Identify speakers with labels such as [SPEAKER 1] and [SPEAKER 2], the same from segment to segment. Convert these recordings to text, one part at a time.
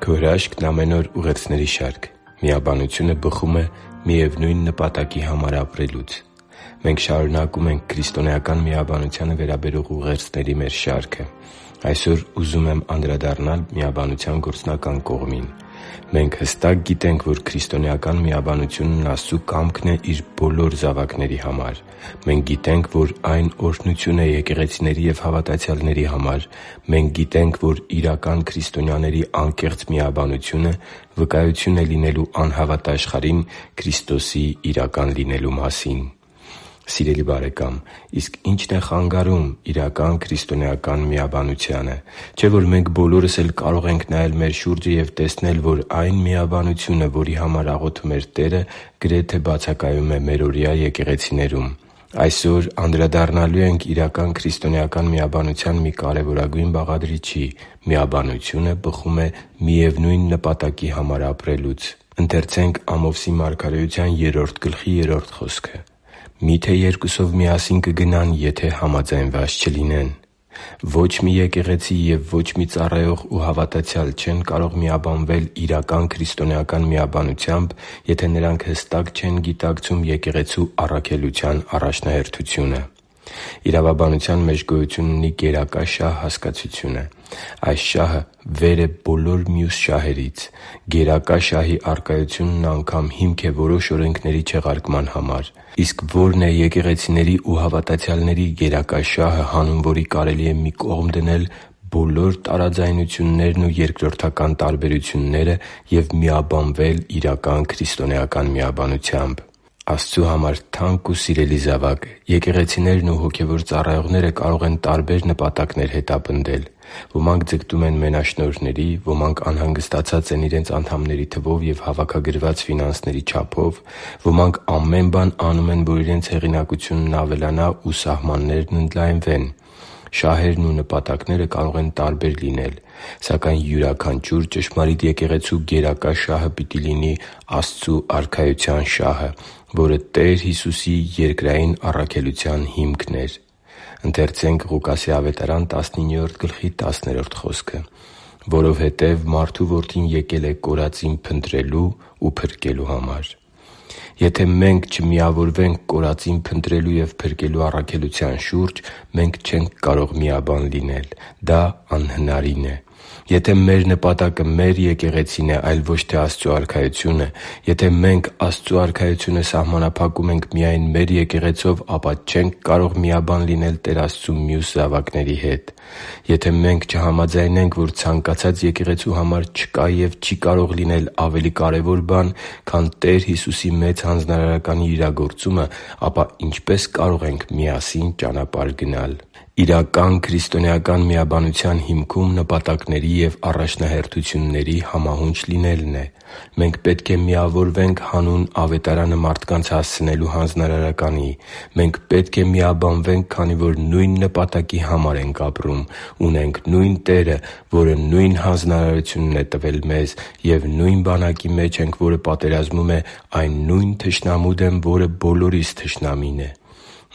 [SPEAKER 1] Քո հրաշքն ամեն օր ուղերձների շարք։ Միաբանությունը բխում է միևնույն նպատակի համար ապրելուց։ Մենք շարունակում ենք քրիստոնեական միաբանությանը վերաբերող ուղերձների մեր շարքը։ Այսօր ուզում եմ անդրադառնալ միաբանության գործնական կողմին։ Մենք հստակ գիտենք, որ քրիստոնեական միաբանությունն Աստծու կամքն է Իր բոլոր զավակների համար։ Մենք գիտենք, որ այն օրհնություն է եկեղեցիների և հավատացյալների համար։ Մենք գիտենք, որ իրական քրիստոնյաների անկեղծ միաբանությունը վկայություն է լինելու անհավատ աշխարհին Քրիստոսի իրական լինելու մասին։ Սիրելի՛ բարեկամ, իսկ ի՞նչն է խանգարում իրական քրիստոնեական միաբանությանը։ Չէ՞ որ մենք բոլորս էլ կարող ենք նայել մեր շուրջը և տեսնել, որ այն միաբանությունը, որի համար աղոթում էր Տերը, գրեթե բացակայում է մերօրյա եկեղեցիներում։ Այսօր անդրադառնալու ենք իրական քրիստոնեական միաբանության մի կարևորագույն բաղադրիչի՝ միաբանությունը բխում է միևնույն նպատակի համար ապրելուց։ «Մի՞թե երկուսով միասին կգնան, եթե համաձայնված չլինեն։ Ոչ մի եկեղեցի և ոչ մի ծառայող ու հավատացյալ չեն կարող միաբանվել իրական քրիստոնեական միաբանությամբ, եթե նրանք հստակ չեն գիտակցում եկեղեցու առաքելության առաջնահերթությունը»։ Իրավաբանության մեջ գոյություն ունի գերակա շահ հասկացությունը։ Այս շահը վեր է բոլոր մյուս շահերից։ Գերակա շահի առկայությունն անգամ հիմք է որոշ օրենքների չեղարկման համար։ Իսկ ո՞րն է եկեղեցիների ու հավատացյալների գերակա շահը, հանուն որի կարելի է մի կողմ դնել բոլոր տարաձայնություններն ու երկրորդական տարբերությունները և միաբանվել իրական քրիստոնեական միաբանությամբ։ Աստծու համար թանկ ու սիրելի՛ զավակ, եկեղեցիներն ու հոգևոր ծառայողները կարող են տարբեր նպատակներ հետապնդել։ Ոմանք ձգտում են մենաշնորհների, ոմանք անհանգստացած են իրենց անդամների թվով և հավաքագրված ֆինանսների չափով, ոմանք ամեն բան անում են, որ իրենց հեղինակությունն ավելանա ու սահմաններն ընդլայնվեն։ Շահերն ու նպատակները կարող են տարբեր լինել, սակայն յուրաքանչյուր ճշմարիտ եկեղեցու գերակա շահը պիտի լինի Աստծու Արքայության շահը, որը Տեր Հիսուսի երկրային առաքելության հիմքն էր։ «Որովհետև Մարդու Որդին եկել է կորածին փնտրելու ու փրկելու համար» (Ղուկաս 19․10)։ Եթե մենք չմիավորվենք կորածին փնտրելու և փրկելու առաքելության շուրջ, մենք չենք կարող միաբան լինել։ Դա անհնարին է։ Եթե մեր նպատակը մեր եկեղեցին է, այլ ոչ թե Աստծու Արքայությունը, եթե մենք Աստծու Արքայությունը սահմանափակում ենք միայն մեր եկեղեցով, ապա չենք կարող միաբան լինել Տեր Աստծու մյուս զավակների հետ։ Եթե մենք չհամաձայնենք, որ ցանկացած եկեղեցու համար չկա և չի կարող լինել ավելի կարևոր բան, քան Տեր Հիսուսի Մեծ Հանձնարարականի իրագործումը, ապա ինչպե՞ս կարող ենք միասին ճանապարհ գնալ։ Իրական քրիստոնեական միաբանության հիմքում նպատակների և առաջնահերթությունների համահունչ լինելն է։ Մենք պետք է միավորվենք հանուն Ավետարանը մարդկանց հասցնելու հանձնարարականի։ Մենք պետք է միաբանվենք, քանի որ նույն նպատակի համար ենք ապրում, ունենք նույն Տերը, որը նույն հանձնարարությունն է տվել մեզ, և նույն բանակի մեջ ենք, որը պատերազմում է այն նույն թշնամու դեմ, որը բոլորիս թշնամին է։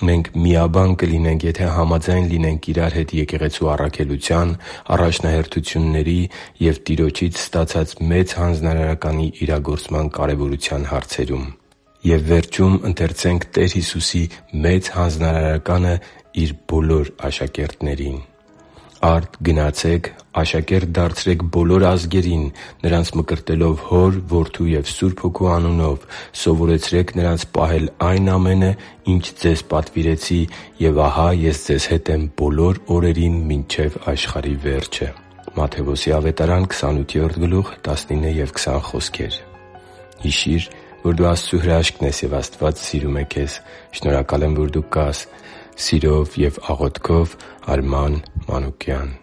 [SPEAKER 1] Մենք միաբան կլինենք, եթե համաձայն լինենք իրար հետ եկեղեցու առաքելության, առաջնահերթությունների և Տիրոջից ստացած Մեծ Հանձնարարականի իրագործման կարևորության հարցերում։ «Արդ գնացե՛ք, աշակե՛րտ դարձրեք բոլոր ազգերին, նրանց մկրտելով Հոր, Որդու և Սուրբ Հոգու անունով, սովորեցրե՛ք նրանց պահել այն ամենը, ինչ ձեզ պատվիրեցի, և ահա Ես ձեզ հետ եմ բոլոր օրերին մինչև աշխարհի վերջը» (Մատթեոս 28:19-20): Հիշի՛ր, որ դու Աստծո հրաշքն ես, և Աստված սիրում է քեզ։ Շնորհակալ եմ, որ դու կա՛ս։ Սիրով և աղոթքով՝ Արման Մանուկյան։